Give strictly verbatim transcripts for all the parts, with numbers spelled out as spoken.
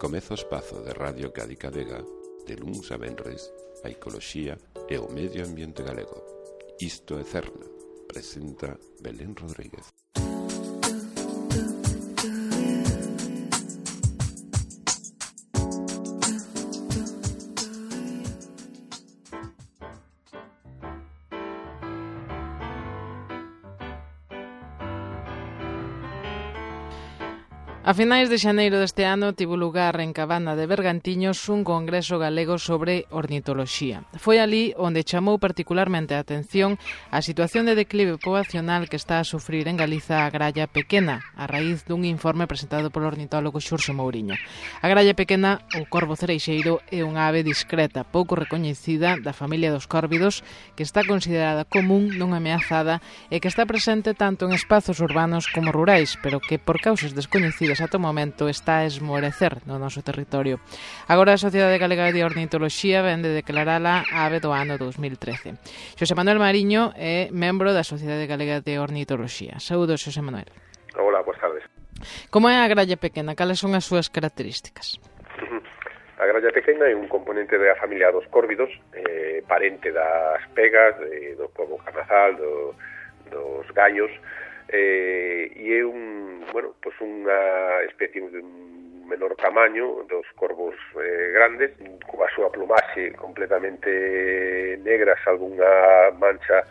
Comeza o espazo de Radio Cádiz Vega de luns a venres a ecoloxía e o medio ambiente galego. Isto é Cerna, presenta Belén Rodríguez. A finais de xaneiro deste ano tivo lugar en Cabana de Bergantiños un congreso galego sobre ornitoloxía. Foi ali onde chamou particularmente a atención a situación de declive poboacional que está a sufrir en Galiza a gralla pequena, a raíz dun informe presentado polo ornitólogo Xurxo Mouriño. A gralla pequena, ou corvo cereixeiro, é unha ave discreta, pouco recoñecida da familia dos córvidos, que está considerada común, non ameazada e que está presente tanto en espazos urbanos como rurais, pero que por causas descoñecidas ata o momento está a esmorecer no noso territorio. Agora a Sociedade Galega de Ornitoloxía vén de declarala a ave do ano dous mil trece. Xosé Manuel Mariño é membro da Sociedade Galega de Ornitoloxía. Saúdos, Xosé Manuel. Hola, boas tardes. Como é a gralla pequena? Cales son as súas características? A gralla pequena é un componente da familia dos córvidos, eh, parente das pegas, de, do corvo carnazal, do, dos gallos, eh, e é un, bueno, pues unha especie de un menor tamaño dos corvos eh, grandes, coa súa plumaxe completamente negra, salvo unha mancha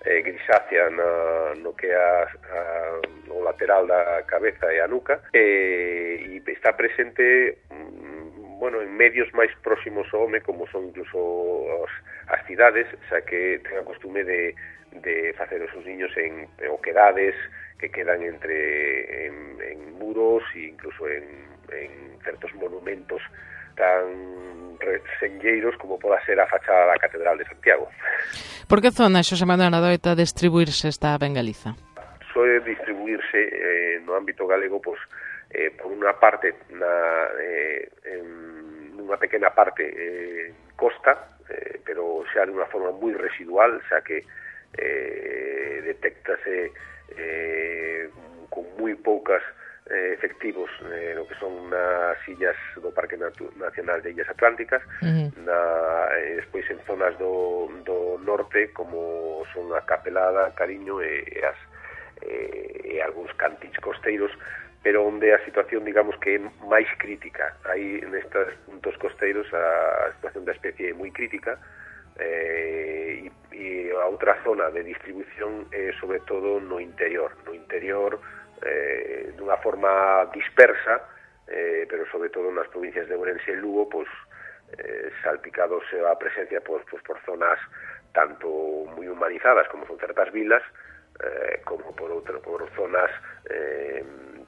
eh, grisácea na, no que é a, a, o lateral da cabeza e a nuca, eh, e está presente bueno, en medios máis próximos ao home, como son incluso as, as cidades, xa que ten a costume de, de facer os seus niños en, en oquedades que quedan entre en, en muros e incluso en, en certos monumentos tan resenlleiros como poda ser a fachada da Catedral de Santiago. Por que zona, Xosé Manuel, adoita distribuirse esta ave en Galiza? Soe distribuirse eh, no ámbito galego, pois, eh, por unha parte na, eh, en unha pequena parte eh, costa, eh, pero xa de unha forma moi residual, xa que eh, detectase eh, con moi poucas eh, efectivos eh, no que son nas illas do Parque Natu- Nacional de Illas Atlánticas, uh-huh. na, eh, despois en zonas do, do norte como son a Capelada, Cariño e, e, as, e, e algúns cantins costeiros, pero onde a situación, digamos, que é máis crítica. Aí, nestes puntos costeiros, a situación da especie é moi crítica, eh, e, e a outra zona de distribución é, sobre todo, no interior. No interior, eh, dunha forma dispersa, eh, pero, sobre todo, nas provincias de Ourense e Lugo, pois, eh, salpicados a presencia pois, pois, por zonas tanto moi humanizadas, como son certas vilas, eh, como por outro, por zonas eh,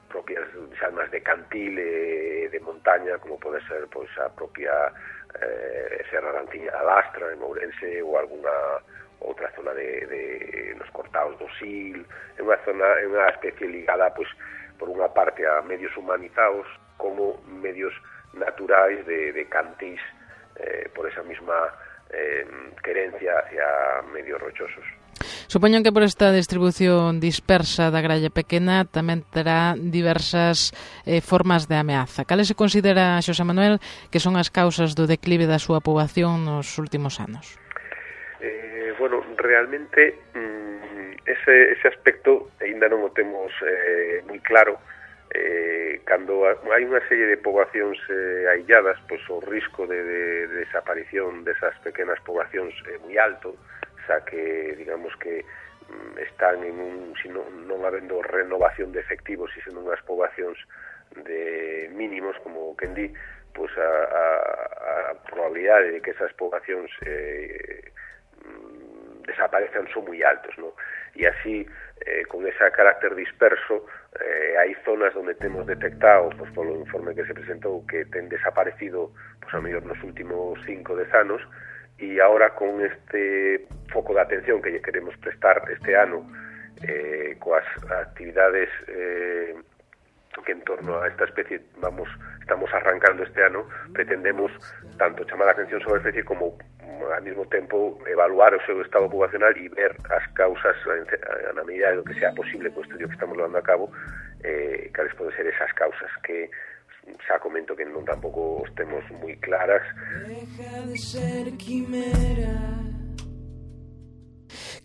propias xa máis de cantil e de montaña, como pode ser pois a propia eh, Serra da Antiña da Lastra en Ourense ou algunha outra zona de, de nos cortaos do Sil. É unha zona, é unha especie ligada pois por unha parte a medios humanizados como medios naturais de, de cantís eh, por esa mesma eh, querencia hacia medios rochosos. Supoño que por esta distribución dispersa da gralla pequena tamén terá diversas eh, formas de ameaza. Cales se considera, Xosé Manuel, que son as causas do declive da súa poboación nos últimos anos? Eh, bueno, realmente mm, ese, ese aspecto ainda non o temos eh, moi claro. Eh, cando hai unha serie de poboacións eh, ailladas, pois o risco de, de, de desaparición desas pequenas poboacións é moi alto, xa que, digamos que mm, están en un, si non, non habendo renovación de efectivos e sendo unhas poboacións de mínimos, como quen di, pois a, a, a probabilidade de que esas poboacións eh, mm, desaparezcan son moi altos, non? E así, eh, con ese carácter disperso, eh, hai zonas onde temos detectado, pois, polo informe que se presentou, que ten desaparecido, pois, a mellor nos últimos cinco dez anos, e agora con este foco de atención que lle queremos prestar este ano eh, coas actividades eh, que en torno a esta especie vamos estamos arrancando este ano, pretendemos tanto chamar a atención sobre a especie como ao mesmo tempo evaluar o seu estado poboacional e ver as causas na medida do que sea posible co estudio que estamos levando a cabo, eh, cales poden ser esas causas que xa comento que non tampouco os temos moi claras. Deja de ser quimera.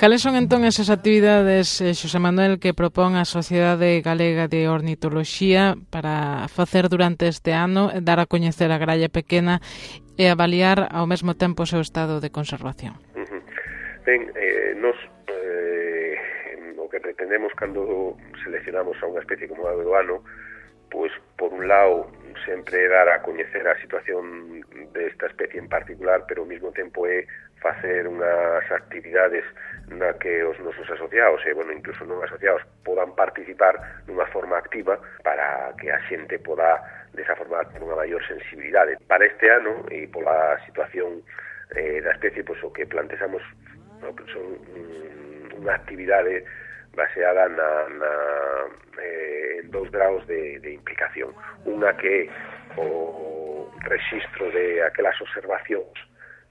Cales son entón esas actividades, Xosé Manuel, que propón a Sociedade Galega de Ornitoloxía para facer durante este ano, dar a coñecer a gralla pequena e avaliar ao mesmo tempo o seu estado de conservación? Uh-huh. Ben, eh, nos eh, o que pretendemos cando seleccionamos a unha especie como a do ano, pois por un lado sempre dar a coñecer a situación desta especie en particular, pero ao mesmo tempo é facer unhas actividades na que os nosos asociados e, bueno, incluso non asociados podan participar dunha forma activa para que a xente poda, desa forma, ter unha maior sensibilidade. Para este ano, e pola situación eh, da especie, pois o que plantexamos no, son um, unha actividade baseada na, na eh, en dous graus de, de implicación. Unha que é o registro de aquelas observacións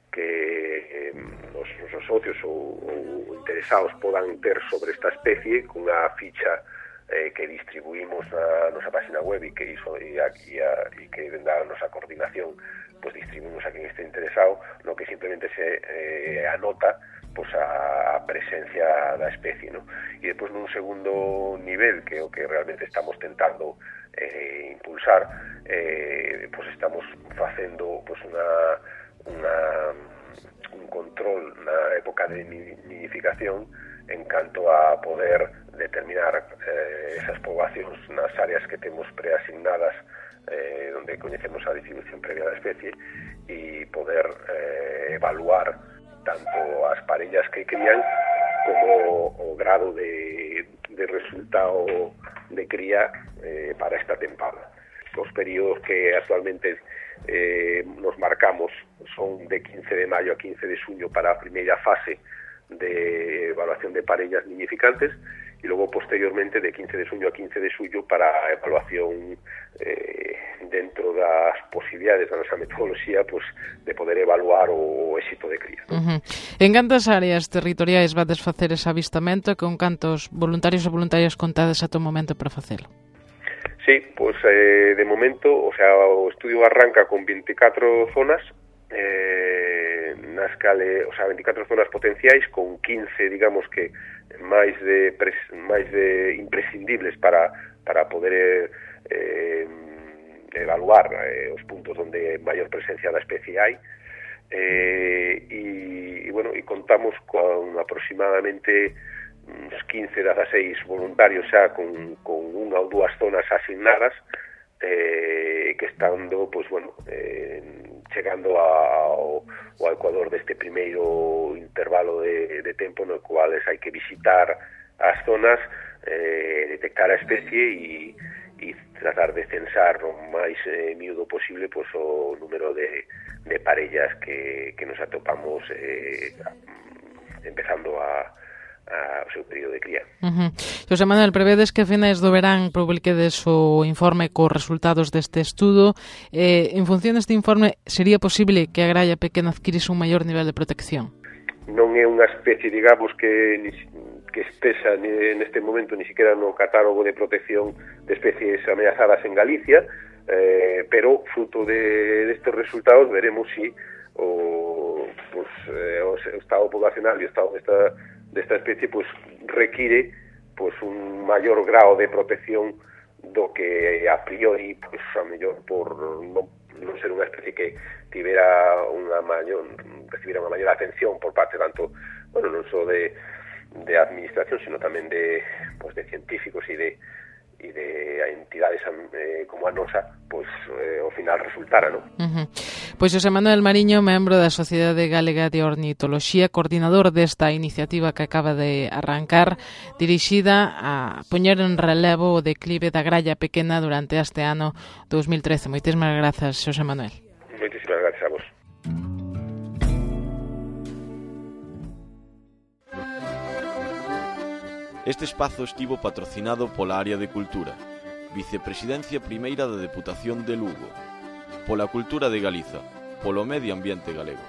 que eh, os, os socios ou, ou interesados podan ter sobre esta especie, cunha ficha eh, que distribuímos na nosa página web e que iso e, aquí a, e que venda a nosa coordinación, pois distribuímos a quen este interesado, no que simplemente se eh, anota pois a presencia da especie, ¿no? E depois nun segundo nivel, que é o que realmente estamos tentando eh, impulsar, eh, pois estamos facendo pois unha Una, un control na época de nidificación en canto a poder determinar eh, esas poboacións nas áreas que temos preasignadas eh, onde coñecemos a distribución previa da especie e poder eh, evaluar tanto as parellas que crían como o grado de, de resultado de cría eh, para esta tempada. Os períodos que actualmente eh, nos marcamos son de quince de maio a quince de xuño para a primeira fase de evaluación de parellas niñificantes e logo posteriormente de quince de xuño a quince de xullo para a evaluación eh, dentro das posibilidades da nosa metodoloxía, pues, de poder evaluar o éxito de cría. Uh-huh. En cantas áreas territoriais vades facer ese avistamento e con cantos voluntarios e voluntarias contades ata o momento para facelo? Sí, pues eh, de momento, o sea, o estudio arranca con veinticuatro zonas, eh, nas cale, o sea, veinticuatro zonas potenciais con quince, digamos que máis de pres, máis de imprescindibles para para poder eh, evaluar eh, os puntos onde maior presencia da especie hai. Eh, y, y bueno, y contamos con aproximadamente uns quince, dezasseis voluntarios xa con, con unha ou dúas zonas asignadas eh, que estando, pues, bueno, eh, chegando ao, ao ecuador deste primeiro intervalo de, de tempo no cual hai que visitar as zonas, eh, detectar a especie e, e tratar de censar o máis eh, miúdo posible, pues, o número de, de parellas que, que nos atopamos eh, empezando a o seu período de cría. Uh-huh. Xosé Manuel, prevedes que a finais do verán publiquedes o informe cos resultados deste estudo. Eh, en función deste informe, sería posible que a gralla pequena adquirise un maior nivel de protección? Non é unha especie, digamos, que que estesa neste momento ni siquiera no catálogo de protección de especies ameazadas en Galicia, eh, pero fruto de destes resultados veremos si o, pues, eh, o estado poblacional e o estado desta desta especie, pues, require, pues, un maior grado de protección do que a priori, pues, a mellor por non, non ser unha especie que tivera unha maior, recibira unha maior atención por parte tanto, bueno, non só de, de administración, sino tamén de, pues, de científicos e de e de entidades eh, como a nosa, pois eh, ao final resultara, non? Uh-huh. Pois Xosé Manuel Mariño, membro da Sociedade Galega de Ornitoloxía, coordinador desta iniciativa que acaba de arrancar, dirixida a poñer en relevo o declive da gralla pequena durante este ano dos mil trece. Moitísimas grazas, Xosé Manuel. Moitísimas grazas a vos. Este espazo estivo patrocinado pola Área de Cultura, Vicepresidencia Primeira da Deputación de Lugo, pola Cultura de Galiza, polo Medio Ambiente Galego.